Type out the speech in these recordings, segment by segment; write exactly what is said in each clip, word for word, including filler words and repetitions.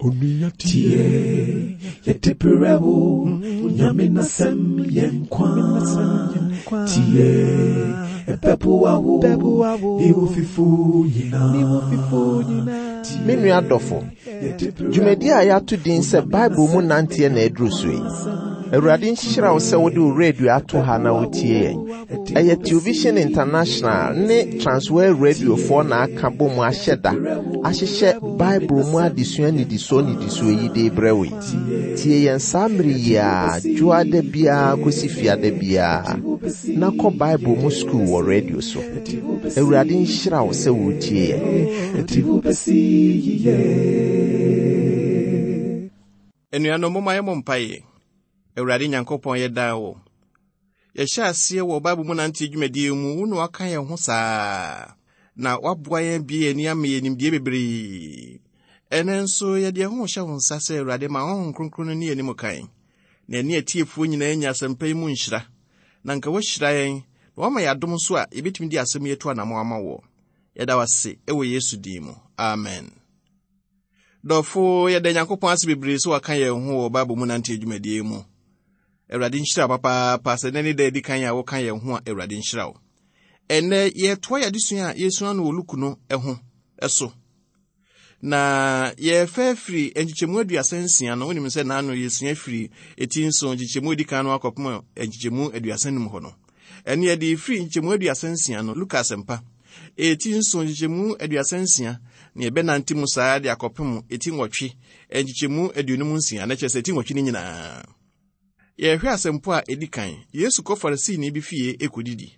Onua tie, yɛde brɛ wo, Nyame n'asɛm yɛ nkwa. Tie, ɛbɛboa wo, ne wo fifo nyinaa. Me nua dɔfo, dwumadi a yɛato din sɛ Bible mu nanteɛ na aduru so yi. Awurade nhyira wo sɛ wode wo radio ato ha na wotie yɛn. Ɛyɛ Television International ne Transworld Radiofoɔ na aka bɔ mu ahyɛ da ahyehyɛ Bible mu adesua nnidisoɔ nnidisoɔ yi de brɛ wo yi. Tie yɛn saa mmere yi a dwoada biara kɔsi fiada biara na kɔ Bible mu sukuu wɔ radio so. Awurade nhyira wo sɛ wotie yɛn. Ɛde wo bɛsi yiye. Anuanom, momma yɛmmɔ mpaeɛ. Awurade Nyankopɔn, yɛda wo. Yɛhyɛ aseɛ wɔ Bible mu nante dwumadie mu, wo na waka yɛn ho saa. Na waboa yɛn bie yɛn ani ama yɛn nimdeɛ bebree. Ɛnɛ nso yɛde yɛn ho hyɛ wo nsa sɛ Awurade ma Honhom Kronkron no ne yɛn anim kan. Na ɛne atiefoɔ nyinaa nya asɛmpa yi mu nhyira. Na nka woahyira yɛn, na woama yɛn adom nso a yɛbɛtumi de asɛm yi atu anammɔn ama woɔ. Yɛda wo ase ɛwɔ Yesu din mu. Amen. Dɔfo, yɛda Nyankopɔn ase bebree sɛ waka yɛn ho wɔ Bible mu nante dwumadie mu. Awurade nhyira wo papaapa sɛ nnɛ ne da adi kan a woka yɛn ho a Awurade nhyira wo. Ɛnnɛ yɛtoa yɛn adesua a yɛsua no wɔ Luke no ho so. Na yɛfa firi nkyekyɛmu aduasa nsia no, wonim sɛ naano yɛsua firi eti nson nkyekyɛmu edi kan no akɔpem nkyekyɛmu aduasa num hɔ no. Ɛne yɛde firi nkyekyɛmu aduasa nsia no, Luka asɛmpa eti nson nkyekyɛmu aduasa nsia na yɛbɛnante mu saa de akɔpem eti nwɔtwe nkyekyɛmu aduonum nsia, na kyerɛ sɛ eti nwɔtwe no nyinaa. Yɛhwɛ asɛmpo a edi kan, Yesu kɔ Farisini bi fie ekodidi.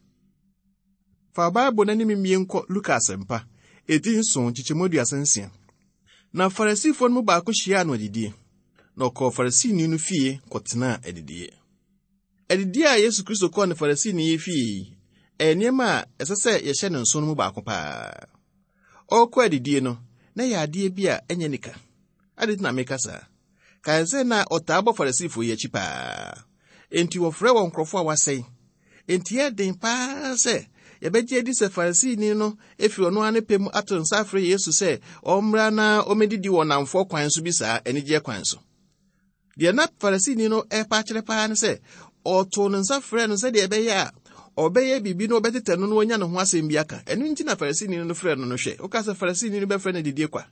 Fa Bible n'anim mmie nkɔ Luka asɛmpa eti nson nkyekyɛmu aduasa nsia. Na Farisifoɔ no mu baako hyiaa no adidie, na ɔkɔɔ Farisini no fie kɔtenaa adidie. Adidie a Yesu Kristo kɔɔ ne Farisini yi fie yi, ɛyɛ nneɛma a ɛsɛ sɛ yɛhyɛ ne nso no mu baako paa. Ɔrekɔ adidie no, na ɛyɛ adeɛ bi a ɛnyɛ nika. Ade na meka saa. Kae sɛ na ɔtaa bɔ Farisifoɔ yi akyi paa. Enti wɔfrɛ wɔn nkurɔfoɔ a wɔasɛe. Enti ɛyɛ den paa sɛ yɛbɛgye adi sɛ Farisini no efiri ɔno ara ne pɛ mu ato nsa afrɛ Yesu sɛ ɔmmra na ɔmmɛdidi wɔ nnamfoɔ kwan so bi saa anigyeɛ kwan so. Deɛ na Farisini no ɛrepa akyerɛ paa ne sɛ ɔtoo ne nsa frɛ no sɛdeɛ ɛbɛyɛ a ɔbɛyɛ biribi na ɔbɛtetɛ no na wanya ne ho asɛm bi aka. Ɛno nti na Farisini no frɛ no no hwɛ. Woka sɛ Farisini no bɛfrɛ no didie kwa.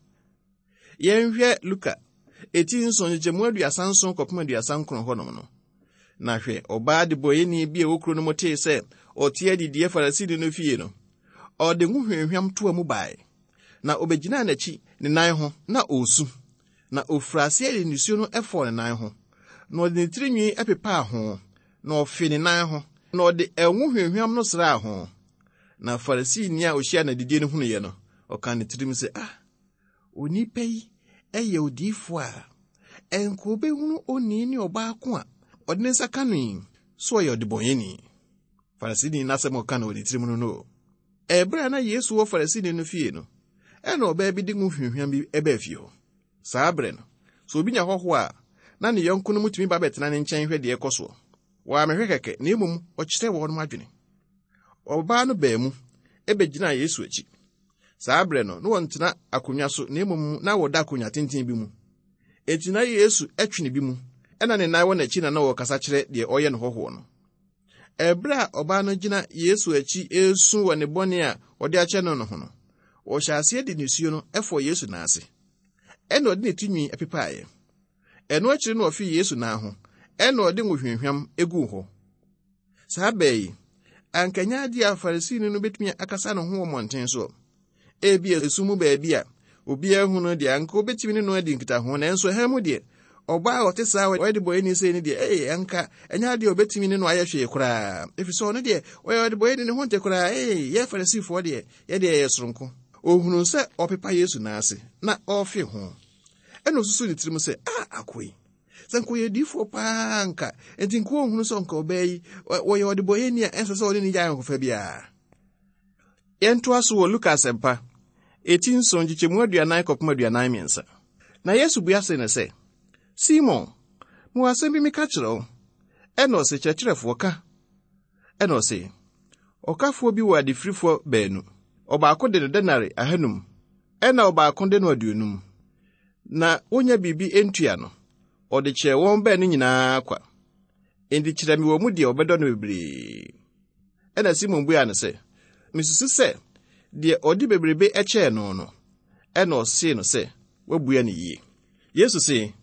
Yɛnhwɛ Luka eti nson nkyekyɛmu aduasa nson kɔpem aduasa nkron hɔnom no. Na hwɛ, ɔbaa debɔyɛni bi a ɛwɔ kuro no mu tee sɛ ɔte adidie Farisini no fie no, ɔde ngo hwamhwam toa mu bae. Na obegyinaa n'akyi ne nan ho na ɔresu. Na ofura aseɛ de nisuo no ɛfɔɔ ne nan ho. Na ɔde ne tirinwi ɛpepaa ho. Na ɔfe ne nan ho. Na ɔde ɛngo hwamhwam no sraa ho. Na Farisini a ohyia n'adidie no hunuiɛ no, ɔkaa ne tirim sɛ, ah, onipa yi ɛyɛ odiyifoɔ a ɛnka obɛhunu onii ne ɔbaako a ɔde ne nsa ka no yi, so ɔyɛ ɔdebɔnyɛni. Farisini n'asɛm a ɔka no wɔ ne tirim no no. Ɛberɛ a na Yesu wɔ Farisini no fie no, ɛna ɔbaa bi de ngo hwamhwam bi ɛbaa fie hɔ. Saa berɛ no, sɛ obi nya hɔhoɔ a, na ne yɔnko no mu tumi ba bɛtena ne nkyɛn hwɛ deɛ ɛkɔ soɔ. Wɔammɛhwɛ kɛkɛ, na mmom ɔkyerɛ wɔn adwene. Ɔbaa no baa mu ɛbɛgyinaa Yesu akyi. Saa berɛ no, na wɔntena akonnwa so, na mmom na wɔda akonnwa tenten bi mu. Enti na Yesu ɛtwene bi mu, ɛna ne nan wɔ n'akyi na na wɔrekasa kyerɛ deɛ ɔyɛ no hɔhoɔ no. Ɛberɛ a ɔbaa no gyina Yesu akyi esu wɔ ne bɔne a ɔde akyɛ no no ho no, ɔhyɛ aseɛ de nisuo no ɛfɔɔ Yesu nan ase. Ɛna ɔde ne tinwi ɛpepaeɛ. Ɛno akyiri no ɔfii Yesu nan ho, ɛna ɔde ngo hwamhwam eguu hɔ. Saa bɛɛ yi, anka nyɛ adeɛ a Farisini no betumi akasa ne ho wɔ mmɔnten so. Ebi esum mu baabi a obiara hu no deɛ anka obetumi ne no adi nkitaho, nanso ɛha mu deɛ ɔbaa a ɔte saa a ɔyɛ debɔyɛni sei no deɛ, ee anka ɛnyɛ adeɛ a obetumi ne no ayɛ hwee koraa. Ɛfiri sɛ ɔno deɛ ɔyɛ ɔdebɔyɛni ne ho nte koraa. Ee yɛ Farisifoɔ deɛ yɛ deɛ yɛyɛ soronko. Ohunu sɛ ɔpepa Yesu nan ase na ɔrefe ho. Ɛna osusu ne tirim sɛ, ah, akoa yi, sɛ nka ɔyɛ diifoɔ paa nka, enti nka ɔnhunu sɛ nka ɔbaa yi, wɔyɛ ɔdebɔyɛni a ɛnsɛ sɛ ɔne ne gya ayɔnkofa biara. Yɛntoa so wɔ Luka asɛmpa eti nson nkyekyɛmu aduanan kɔpem aduanan mmiɛnsa. Na Yesu bua se no sɛ, Simon, mewɔ asɛm bi meka kyerɛ wo. Ɛna ɔse, kyerɛkyerɛfoɔ ka. Ɛna ɔse, ɔkafoɔ bi wɔ adefirifoɔ baanu. Ɔbaako de no denare ahanum, ɛna ɔbaako de no aduonum. Na wonya biribi ntua no, ɔde kyerɛ wɔn baanu nyinaa kwa. Enti kyerɛ me wɔ mu deɛ ɔbɛdɔ no bebree. Ɛna Simon buaa no sɛ, mesusu sɛ deɛ ɔde bebrebe kyɛɛ no no. Ɛna ɔsee no sɛ, woabua no yie. Yesu se,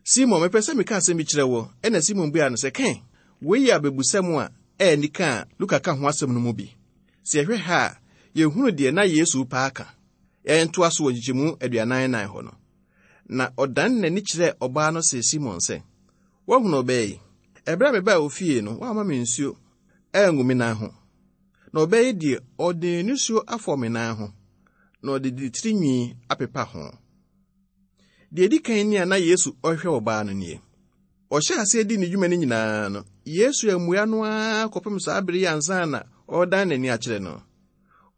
Simon, mepɛ sɛ meka asɛm bi kyerɛ wo. Ɛna Simon buaa no sɛ, kɛn, wei yɛ abebusɛm a ɛyɛ nika a Luka ka ho asɛm no mu bi. Sɛ yɛhwɛ ha a, yɛhunu deɛ na Yesu paa ka. Yɛntoa so wɔ nkyekyɛmu aduanan nan hɔ no. Na ɔdan n'ani kyerɛɛ ɔbaa no see Simon sɛ, woahunu ɔbaa yi? Ɛberɛ a mebaa wo fie no, woamma me nsuo angu me nan ho. Na ɔbaa yi deɛ, ɔde nisuo afɔ me nan ho, na ɔde ne tirinwi apepa ho. Deɛ edi kan ni a na Yesu ɔhwɛ ɔbaa no nie. Ɔhyɛ aseɛ di ne dwuma no nyinaa no, Yesu ammua no ara kɔpem saa bere yi ansa na ɔredan n'ani akyerɛ no.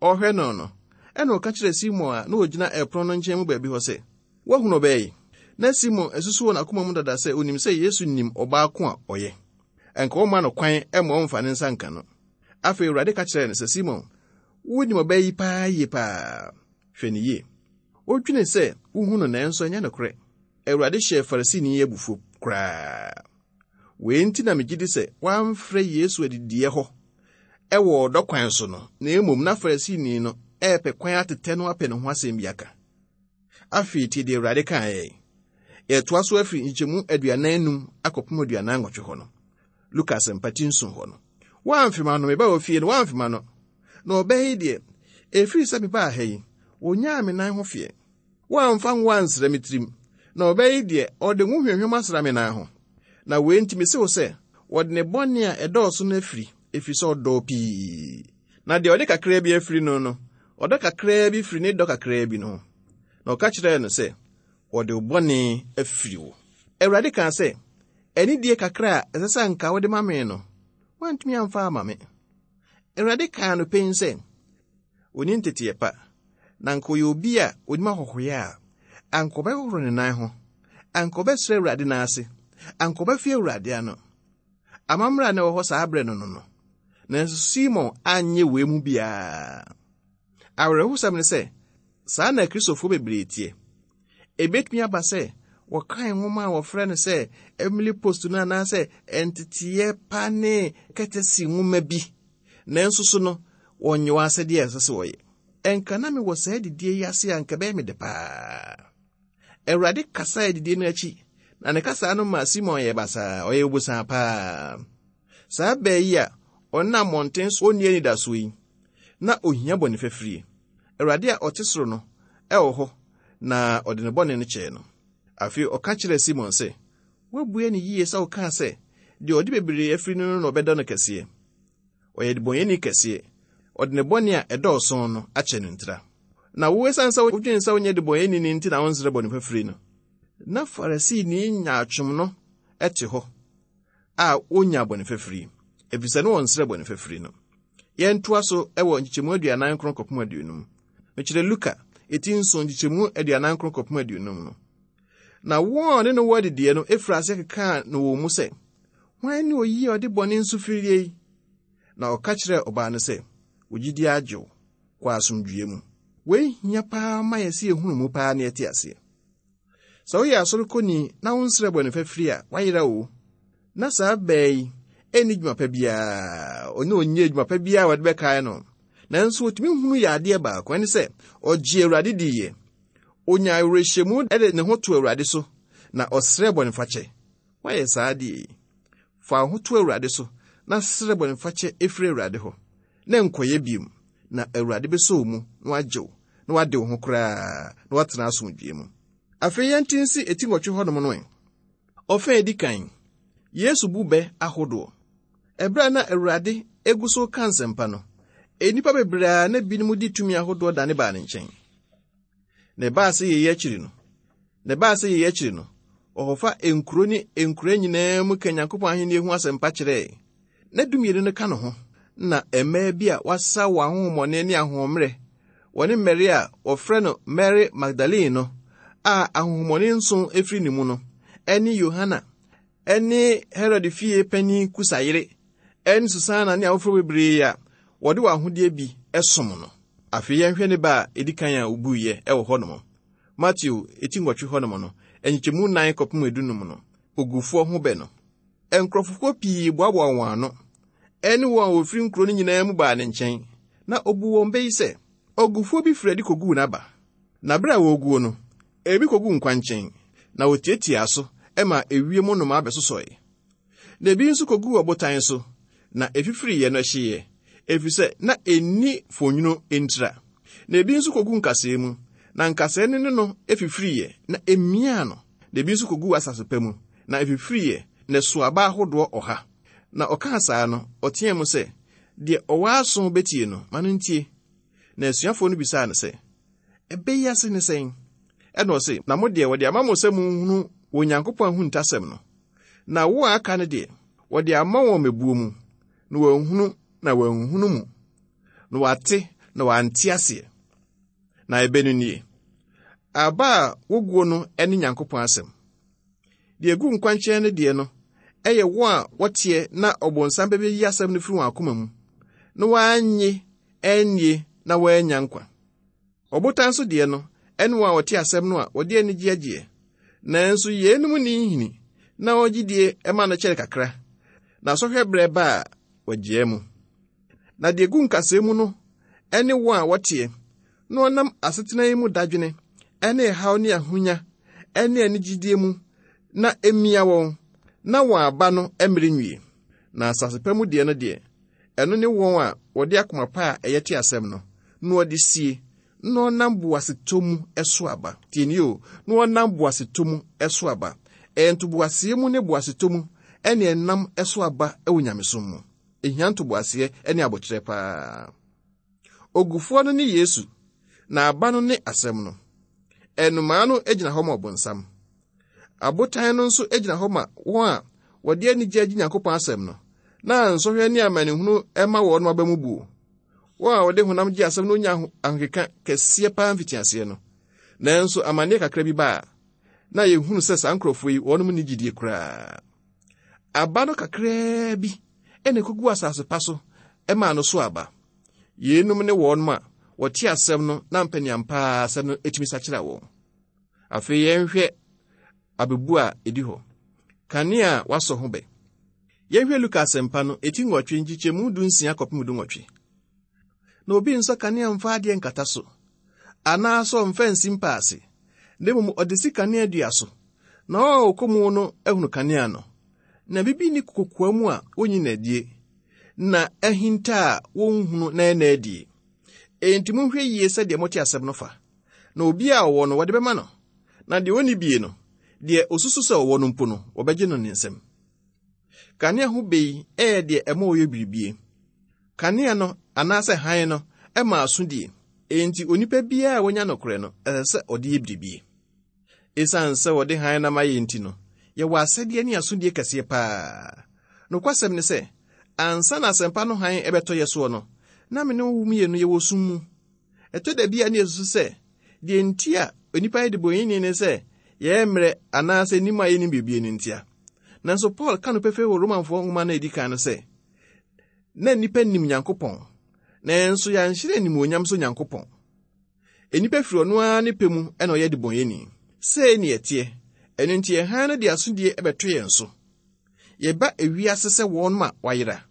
Ɔhwɛ no no, ɛna ɔka kyerɛɛ Simon a na ogyina ɛpono no nkyɛn mu baabi hɔ sɛ, woahunu ɔbaa yi? Na Simon asusu wɔ n'akoma mu dada sɛ onim sɛ Yesu nim ɔbaa ko a ɔyɛ. Ɛnka ɔmma no kwan ma ɔmfa ne nsa nka no. Afei Awurade ka kyerɛɛ no sɛ, Simon, wonim ɔbaa yi paa yie paa. Hwɛ no yie. Wodwene sɛ wohu no nanso ɛnyɛ nokorɛ. Awurade hyɛɛ Farisini yi abufuo koraa. Wei nti na megye di sɛ wamfrɛ Yesu adidiɛ hɔ ɛwɔ ɔdɔ kwan so no, na mmom na Farisini no ɛrepɛ kwan atetɛ no apɛ ne ho asɛm bi aka. Afei tie deɛ Awurade kaeɛ. Yɛtoa so afiri nkyekyɛmu aduanan num akɔpem aduanan nwɔtwe hɔ no. Luka asɛmpa ti nson hɔ no. Woamfe m'ano, mebaa wo fie no, woamfe m'ano. Na ɔbaa yi deɛ, ɛfiri sɛ mebaa ha yi, onyaa me nan ho feɛ. Woamfa ngo ansra me tirim. Na ɔbaa yi deɛ, ɔde ngo hwehwɛm asra me nan ho. Na wei nti mese wo sɛ, wɔde ne bɔne a ɛdɔɔso no afiri, ɛfiri sɛ ɔdɔɔ pii. Na deɛ ɔde kakraa bi afiri no no, ɔdɔ kakraa bi firi ne dɔ kakraa bi no ho. Na ɔka kyerɛɛ no sɛ, wɔde wo bɔne afiri wo. Awurade kaa sɛ, anidie kakra a ɛsɛ sɛ anka wode ma me no, woantumi amfa ama me. Awurade kaa no pɛn sɛ, onni nteteɛ pa, na anka ɔyɛ obi a onim ahɔhoyɛ a, anka ɔbɛhohoro ne nan ho, anka ɔbɛsrɛ Awurade nan ase, anka ɔbɛfe Awurade ano. Amammerɛ a na ɛwɔ hɔ saa berɛ no no no. Nanso Simon anyɛ wei mu biara. Awerɛhosɛm ne sɛ, saa na Kristofoɔ bebree teɛ. Ebetumi aba sɛ wɔkan nwoma a wɔfrɛ no sɛ Emily Post no anaasɛ nteteeɛ pa ne kɛtɛsi nwoma bi. Nanso so no, wɔnyɛ wɔn asɛdeɛ a ɛsɛ sɛ wɔyɛ. Ɛnka na mewɔ saa adidie yi ase a anka ɛbɛyɛ me dɛ paa. Awurade kasa adidie no akyi, na ne kasa no maa Simon yɛ basaa, ɔyɛ obosaa paa. Saa baa yi a ɔnam mmɔnten so onni anidasoɔ yi, na ohia bɔne fafirie. Awurade a ɔte soro no ɛwɔ hɔ, na ɔde ne bɔne no kyɛɛ no. Afei ɔka kyerɛɛ Simon sɛ, woabue no yie sɛ wokaa sɛ, deɛ ɔde bebree afiri no no na ɔbɛdɔ no kɛseɛ. Ɔyɛ debɔnyɛni kɛseɛ. Ɔde ne bɔne a ɛdɔɔso no akyɛ no ntira. Na wo esiane sɛ wodwene sɛ wonyɛ debɔnyɛni no nti na wonsrɛ bɔne fafiri no. Na Farisini nyaatwom no te hɔ a wonya bɔne fafiri, efisɛ ne wɔnsrɛ bɔne fafiri no. Yɛntoa so wɔ nkyekyɛmu aduanan nkron kɔpem aduonum. Mekyerɛ Luka eti nson nkyekyɛmu aduanan nkron kɔpem aduonum no. Na wɔn a ɔne no wɔ adidiɛ no efiri ase kekaa no wɔ mu sɛ, hwan ne oyi a ɔde bɔne nso firie yi? Na ɔka kyerɛɛ ɔbaa no sɛ, wo gyidi agye wo, kɔ asomdwoeɛ mu. Wei hia paa ma yɛ sɛ yɛhunu mu paa na yɛte aseɛ. Sɛ woyɛ asɔrekɔni na wonsrɛ bɔne fafiri a, woayera o. Na saa baa yi ɛnni dwuma pa biara, ɔne ɔnyɛ dwuma pa biara a wɔde bɛkae no. Nanso otumi hunu yɛ adeɛ baako, ɛne sɛ ɔgye Awurade diiɛ. Onya awerɛhyɛmu de ne ho to Awurade so, na ɔsrɛ bɔne fakyɛ. Woayɛ saa adeɛ yi. Fa wo ho to Awurade so, na srɛ bɔne fakyɛ ɛfiri Awurade hɔ, na nkɔyɛ biom, na Awurade bɛsɔ wo mu, na wagye wo, na wade wo ho koraa, na woatena asomdwoeɛ mu. Afei yɛnte nsi eti nwɔtwe hɔnom no ɛ. Ɔfa a edi kan, Yesu bu bɛ ahodoɔ. Ɛberɛ a na Awurade egu so ka nsɛmpa no, nnipa bebree a na binom di tumi ahodoɔ dane baa ne nkyɛn. Na ɛbaa sɛ yɛyi akyiri no, na ɛbaa sɛ yɛyi akyiri no, ɔkɔfa nkuro ne nkuro nyinaa mu ka Nyankopɔn ahenni ho asɛmpa kyerɛɛ. Na dumienu no ka ne ho, na mmaa bi a wɔasa wɔn ahonhommɔne ne ahoɔmmerɛ, wɔne Mary a wɔfrɛ no Mary Magdalene no, a ahonhommɔne nson efiri ne mu no, ɛne Yohana, ɛne Herod fie panin Kusa yere, ɛne Susana ne afoforɔ bebree a wɔde wɔn ahodeɛ bi som no. Afei yɛnhwɛ ne ba a edi kan a obuiɛ ɛwɔ hɔnom. Mateo eti nwɔtwe hɔnom no, nkyekyɛmu nan kɔpem edunum no, ogufoɔ ho bɛ no. Nkurɔfokuo pii boaboa wɔn ano, ɛne wɔn a wɔfiri nkuro no nyinaa mu baa ne nkyɛn, na obu wɔn bɛ yi sɛ, ogufoɔ bi firi adi koguu n'aba. Na bere a wɔreguo no, ebi koguu nkwankyɛn, na wɔtiatiaa so ma ewiem nnomaa bɛsosɔe. Na ebi nso koguu ɔbotan so, na efifiriiɛ no ɛhyeeɛ, efisɛ na enni fonwunu ntira. Na ebi nso koguu nkasɛɛ mu, na nkasɛɛ no ne no efifiriiɛ, na emiaa no. Na ebi nso koguu asase pa mu, na efifiriiɛ, na ɛsoo aba ahodoɔ ɔha. Na ɔkaa saa no, ɔteɛɛ mu sɛ, deɛ ɔwɔ aso betie no, ma no ntie. Na asuafoɔ no bisaa no sɛ, ɛbɛyi ase ne sɛn? Ɛna ɔse, na mo deɛ wɔde ama mo sɛ monhunu wɔ Onyankopɔn ahuntasɛm no. Na wo a aka no deɛ, wɔde ama wɔn mmebuo mu, na wɔanhunu na wɔanhunu mu, na wɔate na wɔante aseɛ. Na ɛbɛ no nie. Aba a woguo no ne Nyankopɔn asɛm. Deɛ egu nkwankyɛn no deɛ no, ɛyɛ wɔn a wɔteɛ na ɔbonsam bɛbɛyi asɛm no firi wɔn akoma mu, na wɔannye annie na wɔannya nkwa. Ɔbotan so deɛ no, ɛne wɔn a wɔte asɛm no a wɔde anigye agyeɛ. Nanso yeinom nni nhini, na wɔn gyidie ma no kyɛre kakra, na sɔhwɛ berɛ ba a wɔgyaa mu. Na deɛ egu nkasɛɛ mu no ɛne wɔn a wɔteɛ, na wɔnam asetena yi mu dadwene, ɛne ɛhaw ne ahonya, ɛne anigyidie mu, na emia wɔn, na wɔn aba no mmere nwie. Na asase pa mu deɛ no deɛ, ɛno ne wɔn a wɔde akoma pa a ɛyɛ te asɛm no, na wɔde sie, na wɔnam boasetɔ mu ɛso aba. Tie nie o, na wɔnam boasetɔ mu ɛso aba. Ɛyɛ ntoboaseɛ mu ne boasetɔ mu ɛne ɛnam ɛso aba ɛwɔ nyamesom mu. Ehia ntoboaseɛ ɛne abokyerɛ paa. Ogufoɔ no ne Yesu, na aba no ne asɛm no. Ɛnomaa no gyina hɔ ma ɔbonsam. Abotan no nso gyina hɔ ma wɔn a wɔde anigye agye Nyankopɔn asɛm no, na nsɔhwɛ ne amanehunu ɛma wɔn aba mu buo. Wɔn a wɔde honam gye asɛm no nya ahokeka kɛseɛ paa mfitiaseɛ no. Nanso amanneɛ kakra bi ba a, na yɛhunu sɛ saa nkurɔfoɔ yi wɔnom nni gyidie koraa. Aba no kakraa bi ɛna ɛkɔgu asase pa so ɛmaa no so aba. Yeinom ne wɔnom a wɔte asɛm no na mpaniampaa asɛm no etumi sakyera wɔn. Afei yɛnhwɛ abebu a ɛdi hɔ. Kanea a wasɔ ho bɛ. Yɛnhwɛ Luka asɛmpa no eti nwɔtwe nkyekyɛmu du nsia kɔpem du nwɔtwe. Na obi nsɔ kanea mfa adeɛ nkata so, anaasɛ ɔmfa nsi mpa ase, na mmom ɔde si kanea dua so, na wɔn a wɔkɔ mu no ahunu kanea no. Na bibi nni kokoa mu a wonyi n'adie, na ahinta a wonhunu na ɛna adie. Enti monhwɛ yie sɛdeɛ mote asɛm no fa. Na obi a ɔwɔ no wɔde bɛma no, na deɛ onni bie no, deɛ osusu sɛ ɔwɔ no mpo no, wɔbɛgye no ne nsam. Kanea ho bɛ yi ɛyɛ deɛ ɛma ɔyɛ biribie. Kanea no anaasɛ hann no ɛma asodie. Enti onipa biara a wanya nokorɛ no, ɛsɛ sɛ ɔde yɛ biribie. Esiane sɛ wɔde hann no ama yɛn nti no, yɛwɔ asɛdeɛ ne asodie kɛseɛ paa. Nokwasɛm ne sɛ, ansa na asɛmpa no hann ɛbɛtɔ yɛ soɔ no, na me ne wo mmienu yɛwɔ sum mu. Ɛtɔ da bi a ne yɛsusu sɛ, deɛ nti a onipa yɛ debɔneyɛni ne sɛ yɛyɛ mmerɛ anaasɛ nim a yɛnim biribi no ntia. Nanso Paul ka no pefee wɔ Romanfoɔ nwoma no a ɛdi kan no sɛ, na nnipa nim Nyankopɔn, nanso yɛanhyerɛ animuonyam so Nyankopɔn. Nnipa firi ɔno ara ne pɛ mu ɛna ɔyɛ debɔneyɛni. Sei ne yɛteɛ, ɛno nti yɛn hann no de asodie ɛbɛto yɛn so. Yɛba ewiase sɛ wɔn a wɔayera.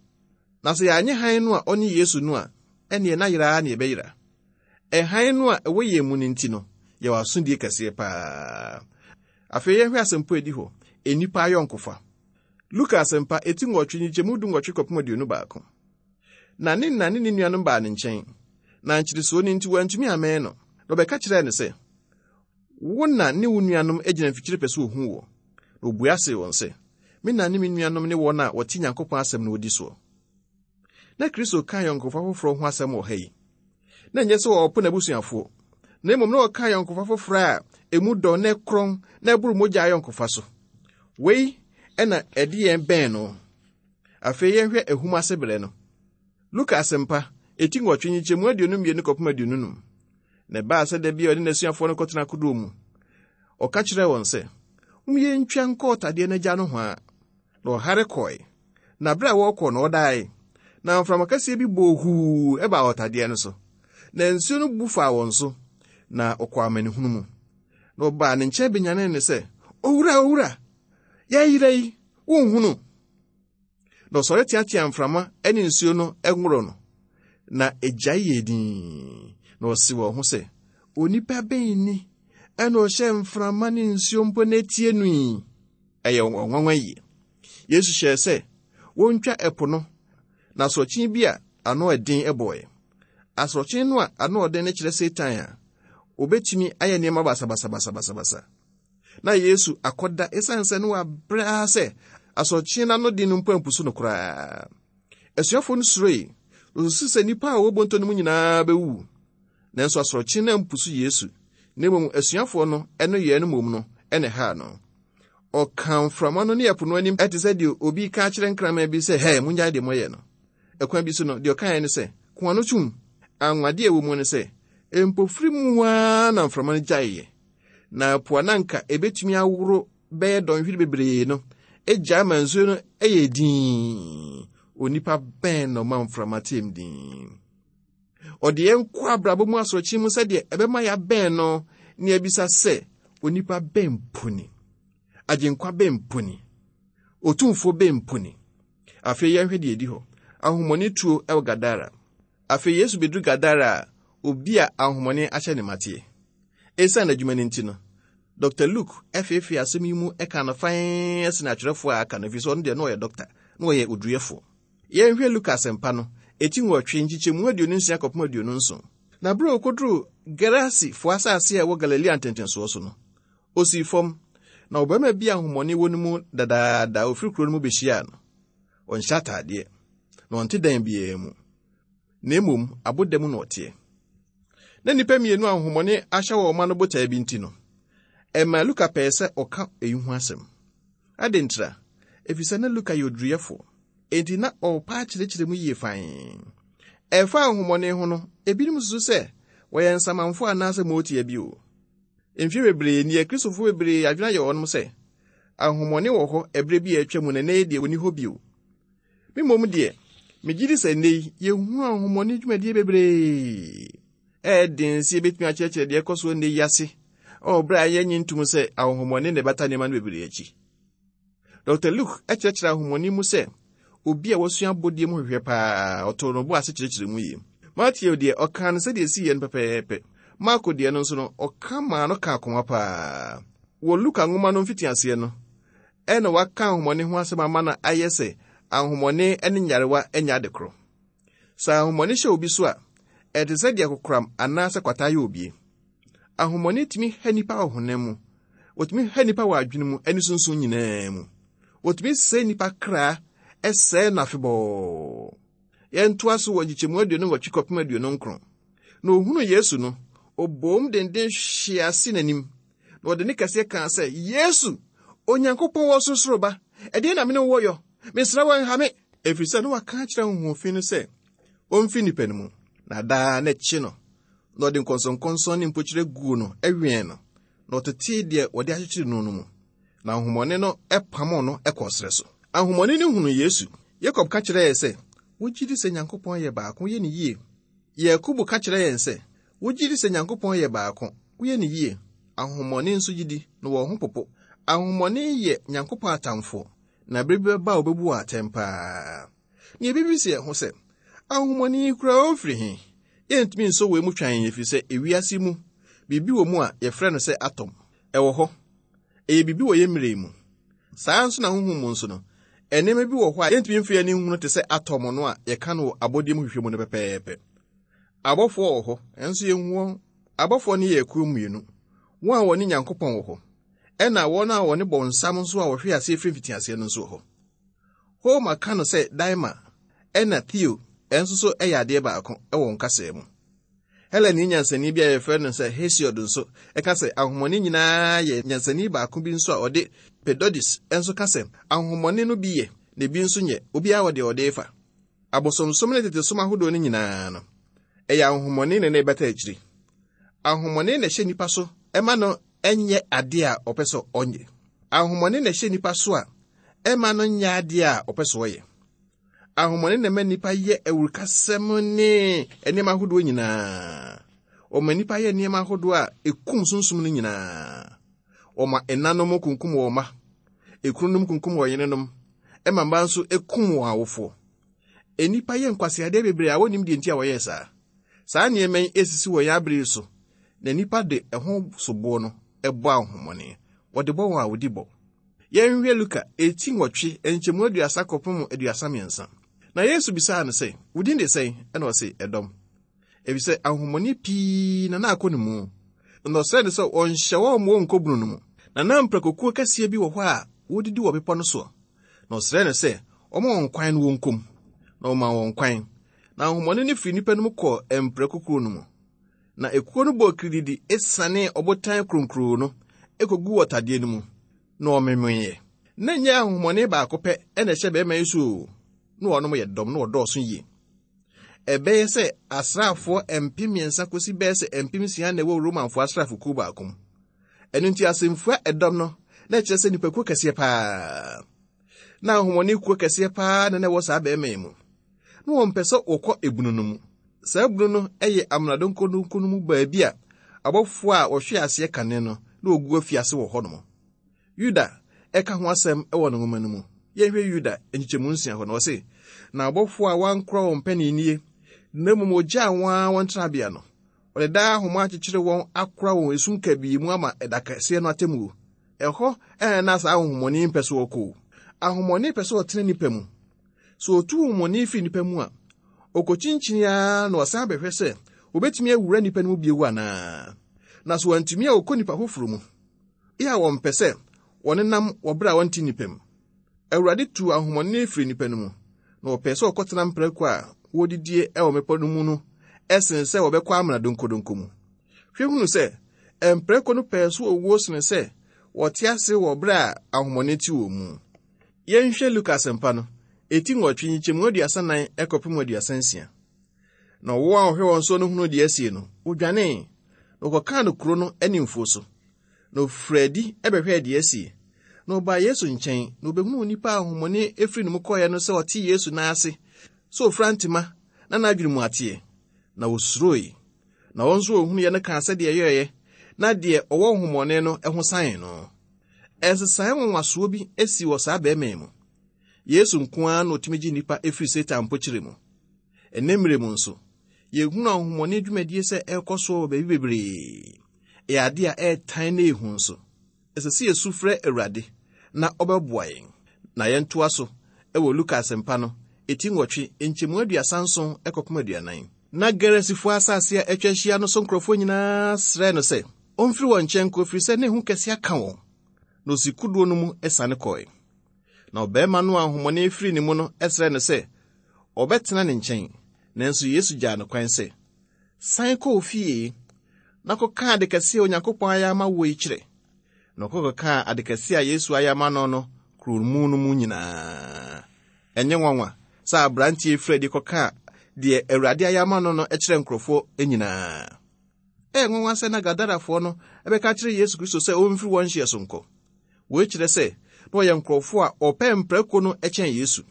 Na sɛ yɛanyɛ hann no a ɔne Yesu no a, ɛneɛ na yera ne yɛbɛyera. Ɛhan no a ɛwɔ yɛn mu no nti no, yɛwɔ asodie kɛseɛ paa. Afei yɛnhwɛ asɛmpo a ɛdi hɔ, nnipa ayɔnkofa. Luka asɛmpa eti nwɔtwe nkyekyɛmu du nwɔtwe kɔpem aduonu baako. Na ne na ne ne nuanom baa ne nkyɛn, na nkyeresoɔ no nti wɔantumi ammɛn no. Na ɔbɛka kyerɛɛ no sɛ, wo na ne wo nuanom gyina mfikyire pɛ sɛ ohuu wɔ. Na obua see wɔn sɛ, me na ne me nuanom ne wɔn a wɔte Nyankopɔn asɛm no wɔdi soɔ. Na Kristo ka ayɔnkofa foforɔ ho asɛm wɔ ha yi. Na ɛnyɛ sɛ wɔɔpo n'abusuafoɔ, na mmom na ɔka ayɔnkofa foforɔ a emu dɔ na ɛkorɔn na ɛboro mogya ayɔnkofa so. Wei ɛna ɛde yɛn bɛn no. Afei yɛnhwɛ ahum ase berɛ no. Luka asɛmpa, eti nwɔtwe nkyekyɛmu aduonu mmienu kɔpem aduonu num. Na ɛbaa sɛ da bi a ɔne n'asuafoɔ no kɔtena kodoɔ mu. Ɔka kyerɛɛ wɔn sɛ, mom yɛntwa nkɔ ɔtadeɛ no agya nohoa. Na ɔhare kɔe. Na bere a wɔrekɔ no ɔdae. Na mframa kɛseɛ bi bɔɔ huu ɛbaa ɔtadeɛ no so. Na nsuo no bu faa wɔn so, na ɔkɔɔ amanehunu mu. Na ɔbaa ne nkyɛn benyanee ne sɛ, Owura, owura, yɛyera yi, wonhunu. Na ɔsɔre teatea mframa ne nsuo no nworo no, na egyae yɛ dinn. Na ɔse wɔn ho sɛ, onipa bɛn ni ɛna ɔhyɛ mframa ne nsuo mpo n'etie no yi? Ɛyɛ wɔn nwanwa yie. Yesu hyɛɛ sɛ wontwa ɛpo no, na asorɔkye bi a ano ɛden ɛbɔe. Asorɔkye no a ano ɔden no kyerɛ Satan a obetumi ayɛ nneɛma basabasabasabasa. Na Yesu akɔda esiane sɛ no wabrɛ ara sɛ asorɔkye no ano den no mpo ampusu no koraa. Asuafoɔ no suroe, wɔsusu sɛ nnipa a wɔwɔ bonto no mu nyinaa bɛwu. Nanso asorɔkye no ampusu Yesu, na mmom asuafoɔ no ɛno yɛɛ no mmom no ɛna ɛhaa no. Ɔka mframa no ne ɛpo no anim ɛte sɛ deɛ obi ka kyerɛ nkraman bi sɛ, hɛ, mongyae deɛ moyɛ no. Ɛkwan bi so no, deɛ ɔkaeɛ ne sɛ, ko ano tum. Anwadeɛ a ɛwɔ mu ne sɛ, mpofiri mu ara na mframa no gyaeɛ. Na po a na anka ebetumi aworo bɛyɛ dɔnhwere bebree no, egyae ma nsuo no ɛyɛ dinn. Onipa bɛn na ɔma mframa tem dinn? Ɔde yɛn kɔ abrabɔ mu asorɔkye mu sɛdeɛ ɛbɛma yɛabɛn no, ne abisa sɛ, onipa bɛn mpo ni? Agyenkwa bɛn mpo ni? Otumfoɔ bɛn mpo ni? Afei yɛnhwɛ deɛ edi hɔ. Ahomɔne tuo ɛwɔ Gadara. Afei Yesu beduru Gadara a obi a ahomɔne ahyɛ ne mateɛ. Esiane n'adwuma no nti no, Dɔkta Luke ɛfeefee asɛm yi mu ɛka no fann ɛsene atwerɛfoɔ a aka no, ɛfiri sɛ ɔno deɛ na ɔyɛ dɔkta, na ɔyɛ oduruyɛfoɔ. Yɛnhwɛ Luke asɛmpa no, eti nwɔtwe nkyekyɛmu aduonu nsia kɔpem aduonu nson. Na bere a okoduruu Gerasifoɔ asase a ɛwɔ Galilea ntentensoɔ so no, osii fam, na ɔbarima bi a ahomɔne wɔ no mu dadaada a ofiri kuro no mu behyiaa no. Ɔnhyɛ ataadeɛ, na ɔnte dan biara mu, na mmom aboda mu na ɔteɛ. Na nnipa mmienu a ahomɔne ahyɛ wɔn ma no botae bi nti no, ɛmaa Luka pɛɛ sɛ ɔka eyi ho asɛm. Adɛn ntira? Ɛfiri sɛ na Luka yɛ oduruyɛfoɔ, enti na ɔrepa akyerɛkyerɛ mu yie fann. Ɛfa ahomɔne ho no, ebinom susu sɛ wɔyɛ nsamanfoɔ anaasɛ mootia bi o. Mfeɛ bebree ni, Akristofoɔ bebree adwene ayɛ wɔnom sɛ ahomɔne wɔ hɔ ɛberɛ bi a atwa mu na nnɛ yi deɛ wɔnni hɔ bio. Me mmom deɛ, megye di sɛ nnɛ yi yɛhunu ahomɔne dwumadie bebree. Ɛyɛ den sɛ yɛbɛtumi akyerɛkyerɛ deɛ ɛkɔ so nnɛ yi ase ɔwɔ berɛ a yɛnnye ntom sɛ ahomɔne na ɛbata nneɛma no bebree akyi. Dɔkta Luke kyerɛkyerɛ ahomɔne mu sɛ obi a wasua abɔdeɛ mu hwehwɛ paa, ɔtoo no bo ase kyerɛkyerɛ mu yie. Matthew deɛ, ɔkaa no sɛdeɛ ɛsii yɛ no pɛpɛɛpɛ. Marko deɛ no nso no, ɔka maa no ka akoma paa. Wɔ Luka nwoma no mfitiaseɛ no, ɛna waka ahomɔne ho asɛm ama no ayɛ sɛ ahomɔne ne nyarewa nyɛ ade korɔ. Sɛ ahomɔne hyɛ obi so a, ɛte sɛ deɛ kokoram anaasɛ kwata yɛ obie. Ahomɔne tumi ha nnipa wɔ honam mu, wɔtumi ha nnipa wɔ adwene mu ne sunsun nyinaa mu. Wɔtumi sɛe nnipa kra, ɛsɛe no afebɔɔ. Yɛntoa so wɔ nkyekyɛmu aduonu nwɔtwe kɔpem aduonu nkron. Na ohunu Yesu no, ɔbɔɔ denden hwee ase n'anim, na ɔde ne kɛseɛ kaa sɛ, Yesu, Onyankopɔn wɔ sorosoro ba, ɛdeɛn na me ne wo wɔ yɔ? Mesrɛ wo nha me. Ɛfiri sɛ na waka akyerɛ honhom no sɛ ɔmfi nnipa no mu. Na daa na ɛkye no, na ɔde nkɔnsɔnkɔnsɔn ne mpokyerɛ guu no ɛwɛn no, na ɔtetee deɛ wɔde akyekyere no no mu. Na ahomɔne no ɛpamoo no ɛkɔɔ serɛ so. Ahomɔne no hunu Yesu. Yakob ka kyerɛɛ sɛ, wogye di sɛ Nyankopɔn yɛ baako, woyɛ ne yie. Yakobo ka kyerɛ yɛn sɛ, wogye di sɛ Nyankopɔn yɛ baako, woyɛ ne yie. Ahomɔne nso gye di, na wɔn ho popo. Ahomɔne yɛ Nyankopɔn atamfoɔ, na bere bi bɛba a wɔbɛbu wɔn atɛn paa. Nea ebibisa yɛn ho sɛ, ahomɔne yi koraa ɔmfiri he? Yɛntumi nsɔ wei mu twan ɛfiri sɛ ewiase mu, biribi wɔ mu a yɛfrɛ no sɛ atom. Ɛwɔ hɔ. Ɛyɛ biribi wɔ yɛn mmerɛ yi mu. Saa nso na honhom mu nso no, nneɛma bi wɔ hɔ a yɛntumi mfa yɛn ani nhunu te sɛ atom no a yɛka no wɔ abɔdeɛ mu hwehwɛ mu no pɛpɛɛpɛ. Abɔfoɔ wɔ hɔ, ɛnso yɛnhu wɔn. Abɔfoɔ no yɛ akuo mmienu. Wɔn a wɔne Nyankopɔn wɔ hɔ, ɛna wɔn a wɔne bɔnsam nso a wɔhwe aseɛ firi mfitiaseɛ no nso wɔ hɔ. Homer ka no sɛ Daima ɛna Theo ɛnso so ɛyɛ adeɛ baako ɛwɔ wɔn kasaa mu. Helani nyansani bi a yɛfrɛ no sɛ Hesiod nso ɛka sɛ ahomɔne nyinaa yɛ nyansani baako bi nso a ɔde Pedodis nso ka sɛ ahomɔne no bi yɛ na ebi nso nyɛ, obiara wɔ deɛ ɔde fa. Abosomsom ne tetesom ahodoɔ no nyinaa no, ɛyɛ ahomɔne na na ɛbɛta akyiri. Ahomɔne na ɛhyɛ nnipa so ɛma no ɛnyɛ adeɛ a ɔpɛ sɛ ɔnyɛ. Ahomɔne na ɛhyɛ nnipa so a ɛma no nyɛ adeɛ a ɔpɛ sɛ ɔyɛ. Ahomɔne na ɛma nnipa yɛ awurukasɛm ne nneɛma ahodoɔ nyinaa. Ɔma nnipa yɛ nneɛma ahodoɔ a ekum sunsum no nyinaa. Wɔma ɛnanom kunkum wɔn mma, ekununom kunkum wɔn yerenom, ɛma mma nso ekum wɔn awofoɔ. Nnipa yɛ nkwaseadeɛ bebree a wɔnnim deɛ nti a wɔyɛɛ saa. Saa nneɛma yi esisi wɔ yɛn abere yi so, na nnipa de ɛho soboɔ no ɛbɔ ahonhommɔne. Wɔde bɔ wɔn a wɔdi bɔ. Yɛnhwɛ Luka eti nwɔtwe nkyɛmu aduasa kɔpem aduasa mmiɛnsa. Na Yesu bisaa no sɛ, wo din de sɛn? Ɛna ɔse, ɛdɔm. Efisɛ ahonhommɔne pii na na akɔ ne mu. Na ɔsrɛɛ no sɛ ɔnhyɛ wɔn ma wɔnkɔ bunu no mu. Na na mprakokuo kɛseɛ bi wɔ hɔ a wɔdidi wɔ bepɔ no soɔ. Na ɔsrɛɛ no sɛ ɔma wɔn kwan no wɔnkɔ mu. Na ɔmaa wɔn kwan. Na ahonhommɔne no firi nnipa no mu kɔɔ mprakokuo no mu. Na ekuo no bɔɔ kirididi esiane ɔbotan kronkron no ekoguu ɔtadeɛ no mu. Na ɔmemeeɛ. Na nyɛ ahonhommɔne baako pɛ ɛna ɛhyɛ bɛrima yi so o. Na wɔnom yɛ dɔm na wɔdɔɔso yie. Ɛbɛyɛ sɛ asraafoɔ mpem mmiɛnsa kɔsi bɛyɛ sɛ mpem nsia na ɛwɔ Romanfoɔ asraafokuo baako mu. Ɛno nti asɛmfua ɛdɔm no na ɛkyerɛ sɛ nnipakuo kɛseɛ paa. Na ahonhommɔne kuo kɛseɛ paa na na ɛwɔ saa bɛrima yi mu. Na wɔmpɛ sɛ wɔkɔ ebunu no mu. Saa ebunu no yɛ amena donkodonko no mu baabi a abɔfoɔ a wɔhwe aseɛ kane no na wɔgu afiase wɔ hɔnom. Yuda ɛka ho asɛm wɔ ne nwoma no mu. Yɛnhwɛ Yuda nkyekyɛmu nsia hɔ na ɔse, na abɔfoɔ a wɔankora wɔn mpaninnie, na mmom wɔgyaa wɔn ara wɔn tenabea no, wɔde daa ahoma akyekyere wɔn akora wɔn esum kabii mu ama ɛda kɛseɛ no atemmuo. Ɛhɔ ɛna na saa ahonhommɔne mpɛ so wɔkɔ o. Ahonhommɔne pɛ sɛ ɔtena nnipa mu. Sɛ otu honhommɔne firi nnipa mu a, ɔkɔkyinkyini ara na ɔsan bɛhwɛ sɛ obetumi awura nnipa no mu bio anaa. Na sɛ wantumi a ɔkɔ nnipa foforɔ mu. Yɛ a wɔmpɛ sɛ wɔnenam wɔ bere a wɔnte nnipa mu. Awurade tuu ahonhommɔne firi nnipa no mu, na wɔpɛɛ sɛ wɔkɔtena mprako a wɔdidie wɔ mmepɔ no mu no ɛsen sɛ wɔbɛkɔ amena donkodonko mu. Hwɛ hunu sɛ mprako no pɛɛ so owuo sene sɛ wɔte ase wɔ bere a ahonhommɔne te wɔn mu. Yɛnhwɛ Luka asɛmpa no, eti nwɔtwe nkyɛmu aduasa nan kɔpem aduasa nsia. Na ɔwɔ a ɔhwɛ wɔn so no hunu deɛ asie no, odwanee, na ɔkɔkaa no kuro no ne mfuo so. Na ofiri adi bɛhwɛɛ deɛ asie. Na ɔbaa Yesu nkyɛn, na obehunuu nnipa a ahonhommɔne efiri ne mu kɔeɛ no sɛ ɔte Yesu nan ase, sɛ ofura ntoma na n'adwene mu ateɛ. Na wosuroe. Na wɔn nso wɔhunuiɛ no kaa sɛdeɛ ɛyɛeɛ, na deɛ ɔwɔ honhommɔne no ho san no. Ɛnsesaeɛ nwanwasoɔ bi asi wɔ saa bɛrima yi mu. Yesu nko ara na otumi gye nnipa efiri Satan mpokyerɛ mu. Ɛnnɛ mmerɛ mu nso, yɛhunu ahonhommɔne dwumadie sɛ ɛrekɔ so wɔ baabi bebree. Ɛyɛ ade a ɛretan na ehu nso. Ɛsɛ sɛ yɛsu frɛ Awurade na ɔbɛboa yɛn. Na yɛntoa so ɛwɔ Luka asɛmpa no, eti nwɔtwe, nkyɛmu aduasa nson kɔpem aduanan. Na Gerasifoɔ asase a atwa ahyia no so nkurɔfoɔ nyinaa srɛɛ no sɛ ɔmfiri wɔn nkyɛn nkɔ, ɛfiri sɛ ne ho kɛse aka wɔn. Na osi kodoɔ no mu siane kɔe. Na ɔbarima no a ahonhommɔne firi ne mu no srɛɛ no sɛ ɔbɛtena ne nkyɛn. Nanso Yesu gyaa no kwan sɛ, san kɔ wo fie na kɔka ade kɛse a Onyankopɔn ayɛ ama wo yi kyerɛ. Na ɔkɔ kɔkaa ade kɛse a Yesu ayɛ ama no no kuro mu no mu nyinaa. Ɛnyɛ nwanwa sɛ aberanteɛ firi adi kɔkaa deɛ Awurade ayɛ ama no no kyerɛ nkurɔfoɔ nyinaa. Ɛyɛ nwanwa sɛ na Gadarafoɔ no ɛbɛka kyerɛ Yesu Kristo sɛ ɔmfiri wɔn hyeɛ so nkɔ. Wei kyerɛ sɛ na ɔyɛ nkurɔfoɔ a ɔpɛ mprako no kyɛn Yesu.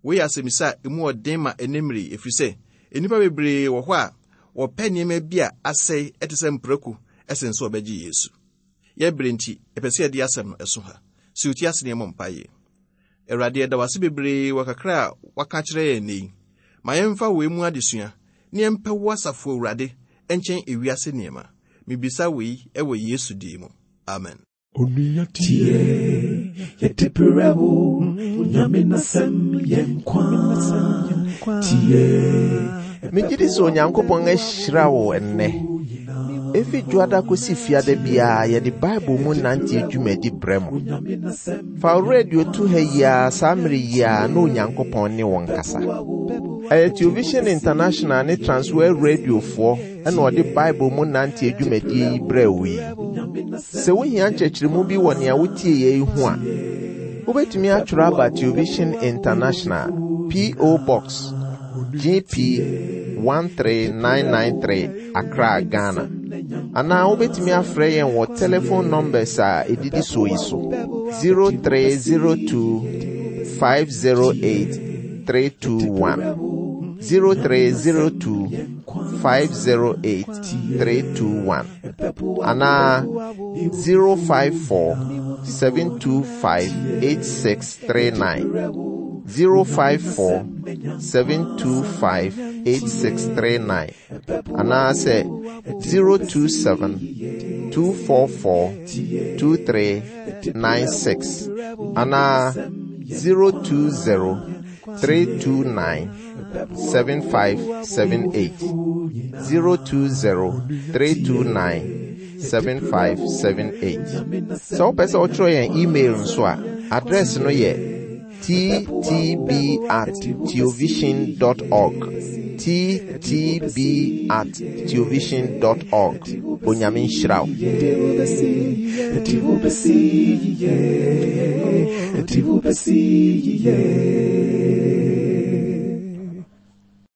Wei yɛ asɛmmisa a emu ɔden ma ɛnnɛ mmerɛ yi, ɛfiri sɛ nnipa bebree wɔ hɔ a wɔpɛ nneɛma bi a asɛe ɛte sɛ mprako ɛsen sɛ wɔbɛgye Yesu. Yɛbere nti, ɛpɛ sɛ yɛde asɛm no ɛso ha. Si wo ti ase na yɛmmɔ mpaeɛ. Awurade, yɛda wo ase bebree wɔ kakra a waka kyerɛ yɛn nnɛ yi. Ma yɛmfa wei mu adesua na yɛmpɛ wo asafo Awurade nkyɛn ewiase nneɛma. Mibisa wei ɛwɔ Yesu din mu. Amen. Onua tie, yɛde brɛ wo, Onyame n'asɛm yɛ nkwa. Tie, Megye di sɛ Onyankopɔn ahyira wo ɛnnɛ. Efi dwoada kɔsi fiada biara yɛde Bible mu nante dwumadi brɛ mo. Fa wo radio to ha yi ara saa mmere yi ara na Onyankopɔn ne wo nkasa. Ɛyɛ Television International ne Transworld Radiofoɔ ɛna ɔde Bible mu nante dwumadie yi brɛ wo yi. Sɛ wohia nkyerɛkyerɛmu bi wɔ nea wotie yɛ yi ho a, wobɛtumi atwerɛ aba Television International, P O. Box G P one three nine nine three, Accra, Ghana. Anaa wobɛtumi afrɛ yɛn wɔ telephone numbers a ɛdidi soɔ yi so: zero three zero two five zero eight three two one, zero three zero two five zero eight three two one. Anaa zero five four seven two five eight six three nine zero five four seven two five eight six three nine anaasɛ zero two seven two four four two three nine six anaa zero two zero three two nine seven five seven eight zero two zero three two nine seven five seven eight. Sɛ wopɛ sɛ wotwerɛ yɛn email nso a, address no yɛ ttb at theovision dot org ttb at theovision dot org. Onyame nhyira wo. Yeah.